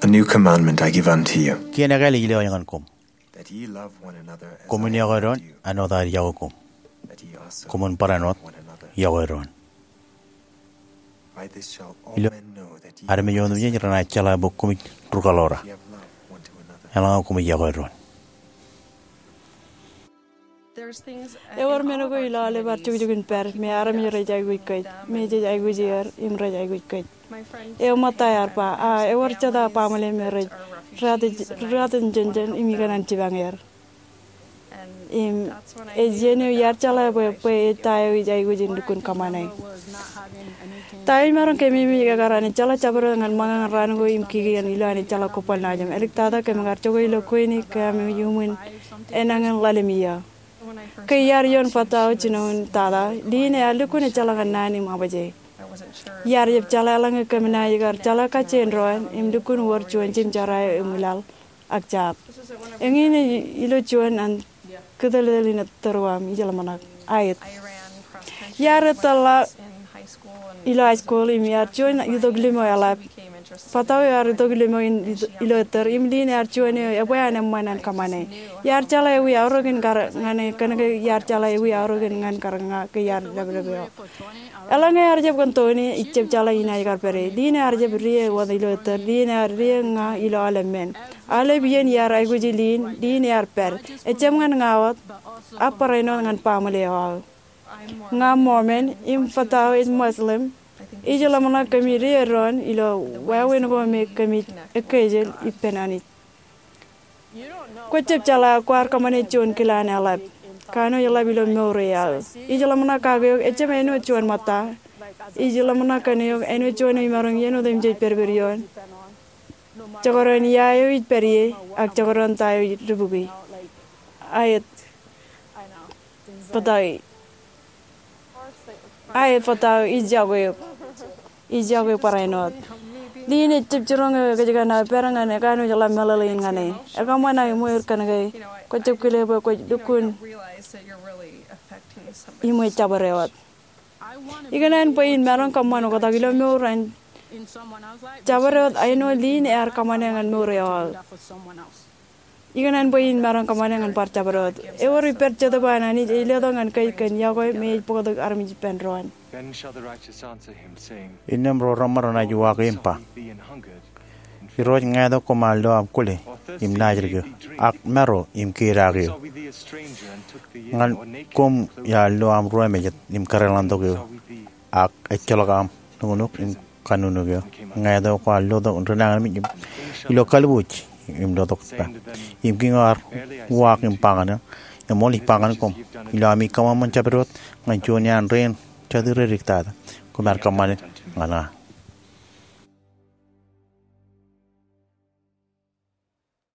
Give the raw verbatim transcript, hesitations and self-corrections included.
A new commandment I give unto you, Kien ekāāl ij lo ñan koṃ, that ye love one another as I have loved you, koṃwin yokwe doon āinwōt ad yokwe koṃ. That ye also love one another. Koṃwin barāinwōt yokwe doon. By this shall all men know that ye are my disciples, armej otemjej renaaj jeḷā bwe koṃij rūkaḷoor aō, if ye have love one to another. Eḷaññe koṃij yokwe doon. Ewōr men ko ilo aolep ad jukjuk in pād me armej rej aikuj kōj, me jej aikuj er im rej aikuj kōj. Eo ṃōtta ear ba, a ewōr jete baaṃle me rej rūttan, rūttan jān jān im ikōṇaan jipañ er. Im ej iien eo iar jeḷā bwe, bwe ej ta eo ij aikuj in lukkuun kōṃṃane. Ta eo imaroñ keememej ekar an ejjeḷọk jabdewōt ñan ṃōñā ñan raan ko im kiki ñan ilo an ejjeḷọk kobban laajōm. Āliktata kōm kar jokwe ilo kweini kōm iuṃwin enañin ḷalem iiō. Ke iar ioon fatao jinoin tata, liin ear lukkuun ejjeḷọk ñan naan im aṃōje. Iar jab jeḷā eḷaññe kōm naaj kar jeḷā kajjien doon im lukkuun wōr juon jimjara eo eṃwilaḷ ak jab. Eñin ej ilo juon an kitōltōl in ettōr eo aṃ, ij ḷōmṇak. Aet. Iar ettōrḷọk ilo high school im iar juon itok limo eḷap. Fatao eo ear itok limo in ilo ettōr im liin ear juon eo ebwe an eṃṃan an kōṃṃane. Iar jeḷā ewi aorōkin kar ñan e kōnke iar jeḷā ewi aorōkin ñan kar ña ke iar ḷapḷap eo. Eḷaññe ear jab kōn Tony, ij jab jeḷā inaaj kar pād e. Liin ear jab rie wōt ilo ettōr, liin ear rie ña ilo aolep men. Aolep iien iar aikuji liin, liin ear pād. Ejjab ñan ña wōt, ak barāinwōt ñan baaṃle eo aō. Ña Mormon, im fatao ej Muslim, ij ḷōmṇak kōmij rie doon ilo wāween ko me kōmij ekkejel ippān Anij. Kwōjab jeḷā kwaar kōṃṃane juon kilaan eḷap. Kanooj ḷap ilo mour eo aō. Ij ḷōmṇak kake eok, ejjab āinwōt juon ṃōtta. Ij ḷōmṇak kōn eok āinwōt juon eo imaroñ iien otemjej pedped ioon. Jekdọọn ia eo ij pād ie, ak jekdọọn ta eo ij dubukwi. Aet. Fatao. Aet fatao, ij yokwe eok. Ij yokwe eok barāinwōt. Liin ejjab jiroñ eo kōj kōn aō pād ñan ekanooj ḷap meḷeḷein ñan e. Ekōṃṃan aō ṃweiur kōnke kwōjab kile bwe kwōj lukkuun iṃwe jabdewōt. Ikōṇaan bwe in maroñ kōṃṃan oktak ilo mour an jabdewōt āinwōt liin ear kōṃṃane ñan mour eo aō. Ikōṇaan bwe in maroñ kōṃṃane ñan bar jabdewōt. Ewōr ippād Jetōb an Anij ej letok ñan kōj kōn yokwe me ej bōktok armej ippān doon. Then shall the righteous answer him, saying, Innām ro reṃṃan renaaj uwaak im ba, Irooj, ñāāt eo koṃ ar lo aṃ kwōle im naaj dike, ak maro im keid ak eo. Ñan koṃ iar lo aṃ ruwamejād im kadeḷọñtok eo, ak ejjeḷọk aṃ nuknuk im kanuknuk eo. Ñāāt eo kwaar lotok ri nañinmej ilo kalbuuj im lotok ippa. Im kiiñ eo ar uwaak im ba ñan eō, eṃool ij ba ñan koṃ, ilo ami kōṃanṃan jabdewōt ñan juon iaan rein jatū reddiktata, koṃ ar kōṃṃane ñan ña.